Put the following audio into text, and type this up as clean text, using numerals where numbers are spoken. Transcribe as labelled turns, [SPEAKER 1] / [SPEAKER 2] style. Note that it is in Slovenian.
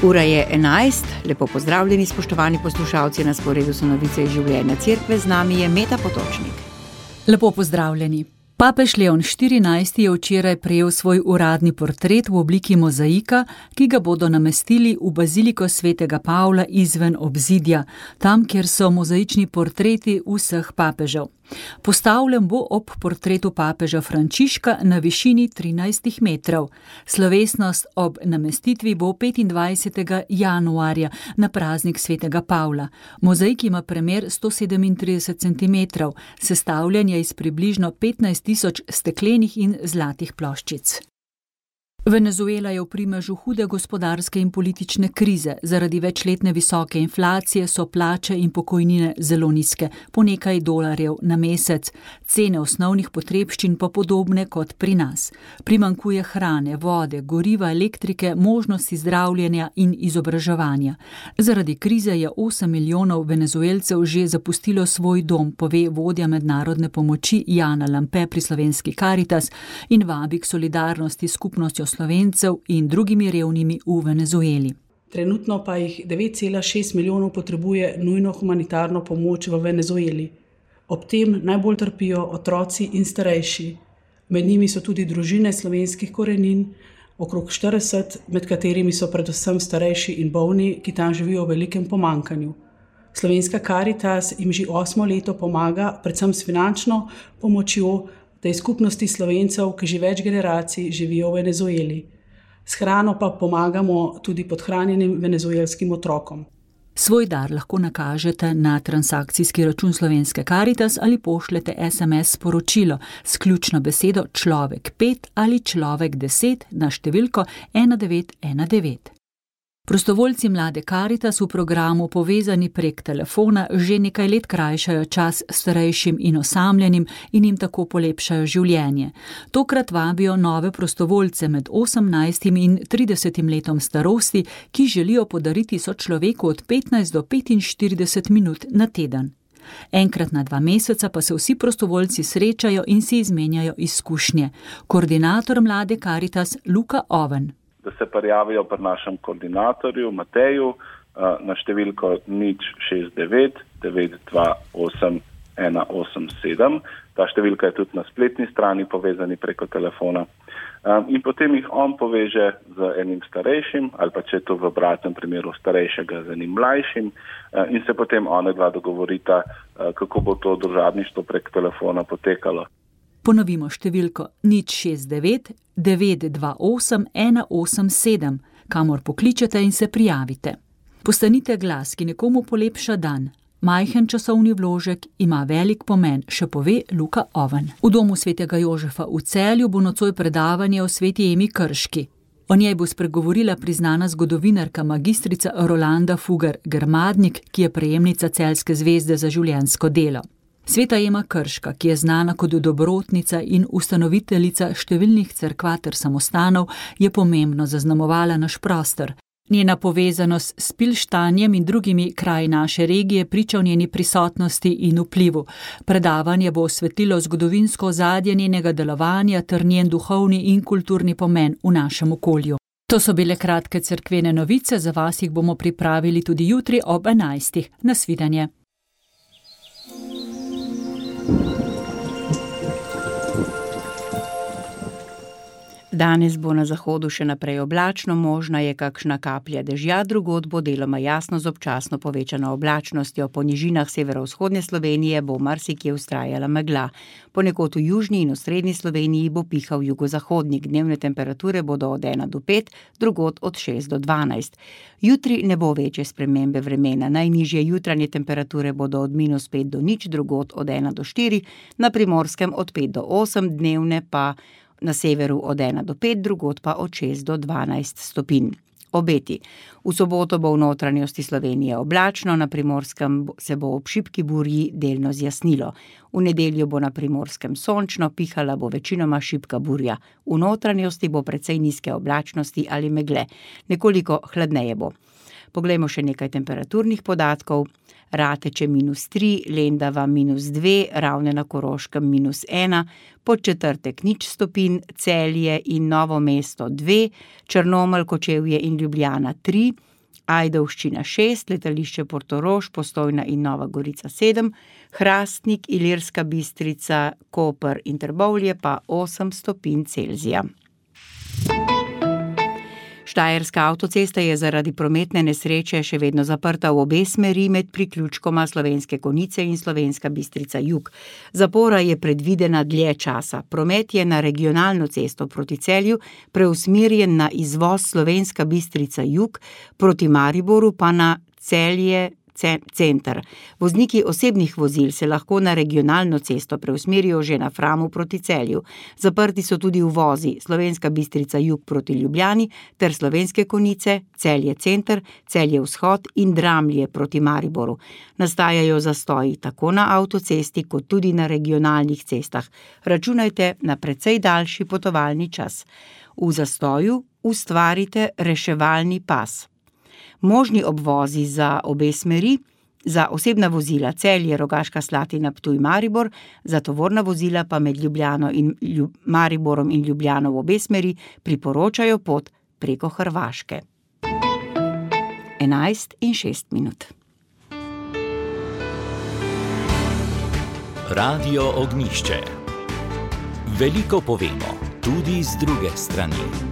[SPEAKER 1] Ura je 11, lepo pozdravljeni spoštovani poslušalci, na sporedu so novice iz življenja cerkve, z nami je Meta Potočnik.
[SPEAKER 2] Lepo pozdravljeni. Papež Leon XIV je včeraj prejel svoj uradni portret v obliki mozaika, ki ga bodo namestili v baziliko svetega Pavla izven obzidja, tam, kjer so mozaični portreti vseh papežev. Postavljen bo ob portretu papeža Frančiška na višini 13 metrov. Slovesnost ob namestitvi bo 25. januarja na praznik svetega Pavla. Mozaik ima premer 137 cm, sestavljen je iz približno 15.000 steklenih in zlatih ploščic. Venezuela je v primežu hude gospodarske in politične krize. Zaradi večletne visoke inflacije so plače in pokojnine zelo nizke, po nekaj dolarjev na mesec. Cene osnovnih potrebščin pa podobne kot pri nas. Primanjkuje hrane, vode, goriva, elektrike, možnosti zdravljenja in izobraževanja. Zaradi krize je 8 milijonov Venezuelcev že zapustilo svoj dom, pove vodja mednarodne pomoči Jana Lampe pri slovenski Karitas in vabi k solidarnosti s skupnostjo Slovencev in drugimi revnimi v Venezueli.
[SPEAKER 3] Trenutno pa jih 9,6 milijonov potrebuje nujno humanitarno pomoč v Venezueli. Ob tem najbolj trpijo otroci in starejši. Med njimi so tudi družine slovenskih korenin, okrog 40, med katerimi so predvsem starejši in bolni, ki tam živijo v velikem pomanjkanju. Slovenska Karitas jim že 8 leto pomaga, predvsem s finančno pomočjo, tej skupnosti Slovencev, ki že več generacij živijo v Venezueli. S hrano pa pomagamo tudi podhranjenim venezuelskim otrokom.
[SPEAKER 2] Svoj dar lahko nakažete na transakcijski račun Slovenske Karitas ali pošljete SMS sporočilo s ključno besedo človek 5 ali človek 10 na številko 1919. Prostovoljci mlade Karitas v programu Povezani prek telefona že nekaj let krajšajo čas starejšim in osamljenim in jim tako polepšajo življenje. Tokrat vabijo nove prostovoljce med 18 in 30 letom starosti, ki želijo podariti sočloveku od 15 do 45 minut na teden. Enkrat na 2 meseca pa se vsi prostovoljci srečajo in si izmenjajo izkušnje. Koordinator mlade Karitas Luka Oven.
[SPEAKER 4] Da se prijavijo pri našem koordinatorju Mateju na številko 069 928 187. Ta številka je tudi na spletni strani Povezani preko telefona. In potem jih on poveže z enim starejšim, ali pa če je to v obratnem primeru starejšega z enim mlajšim, in se potem onedva dogovorita, kako bo to družabništvo prek telefona potekalo.
[SPEAKER 2] Ponovimo številko 069 928 187, kamor pokličete in se prijavite. Postanite glas, ki nekomu polepša dan. Majhen časovni vložek ima velik pomen, še pove Luka Oven. V domu svetega Jožefa v Celju bo nocoj predavanje o sveti Emi Krški. O njej bo spregovorila priznana zgodovinarka magistrica Rolanda Fugar-Grmadnik, ki je prejemnica Celjske zvezde za življenjsko delo. Sveta Ema Krška, ki je znana kot dobrotnica in ustanoviteljica številnih cerkva ter samostanov, je pomembno zaznamovala naš prostor. Njena povezanost s Pilštanjem in drugimi kraji naše regije priča o njeni prisotnosti in vplivu. Predavanje bo osvetlilo zgodovinsko ozadje njenega delovanja ter njen duhovni in kulturni pomen v našem okolju. To so bile kratke cerkvene novice, za vas jih bomo pripravili tudi jutri ob 11. Nasvidenje.
[SPEAKER 1] Danes bo na zahodu še naprej oblačno, možna je kakšna kaplja dežja, drugod bo deloma jasno z občasno povečano oblačnostjo. Po nižinah severovzhodne Slovenije bo marsikje vztrajala megla. Ponekod v južni in osrednji Sloveniji bo pihal jugozahodnik. Dnevne temperature bodo od 1 do 5, drugod od 6 do 12. Jutri ne bo večje spremembe vremena. Najnižje jutranje temperature bodo od -5 do 0, drugod od 1 do 4, na Primorskem od 5 do 8, dnevne pa na severu od 1 do 5, drugod pa od 6 do 12 stopinj. Obeti. V soboto bo v notranjosti Slovenije oblačno, na Primorskem se bo ob šibki burji delno zjasnilo. V nedeljo bo na Primorskem sončno, pihala bo večinoma šibka burja. V notranjosti bo precej nizke oblačnosti ali megle. Nekoliko hladneje bo. Poglejmo še nekaj temperaturnih podatkov. Rateče -3, Lendava -2, Ravne na Koroškem -1, Podčetrtek 0 stopinj, Celje in Novo mesto 2, Črnomelj, Kočevje in Ljubljana 3, Ajdovščina 6, letališče Portorož, Postojna in Nova Gorica 7, Hrastnik, Ilirska Bistrica, Koper in Trbovlje pa 8 stopinj Celzija. Štajerska avtocesta je zaradi prometne nesreče še vedno zaprta v obe smeri med priključkoma Slovenske Konjice in Slovenska Bistrica jug. Zapora je predvidena dlje časa. Promet je na regionalno cesto proti Celju preusmerjen na izvoz Slovenska Bistrica jug, proti Mariboru pa na Celje center. Vozniki osebnih vozil se lahko na regionalno cesto preusmerijo že na Framu proti Celju. Zaprti so tudi uvozi Slovenska Bistrica jug proti Ljubljani ter Slovenske Konjice, Celje center, Celje vzhod in Dramlje proti Mariboru. Nastajajo zastoji tako na avtocesti kot tudi na regionalnih cestah. Računajte na precej daljši potovalni čas. V zastoju ustvarite reševalni pas. Možni obvozi za obe smeri, za osebna vozila Celje, Rogaška Slatina, Ptuj, Maribor, za tovorna vozila pa med Ljubljano in Mariborom in Ljubljano v obe smeri priporočajo pot preko Hrvaške. 11:06.
[SPEAKER 5] Radio Ognjišče. Veliko povemo, tudi z druge strani.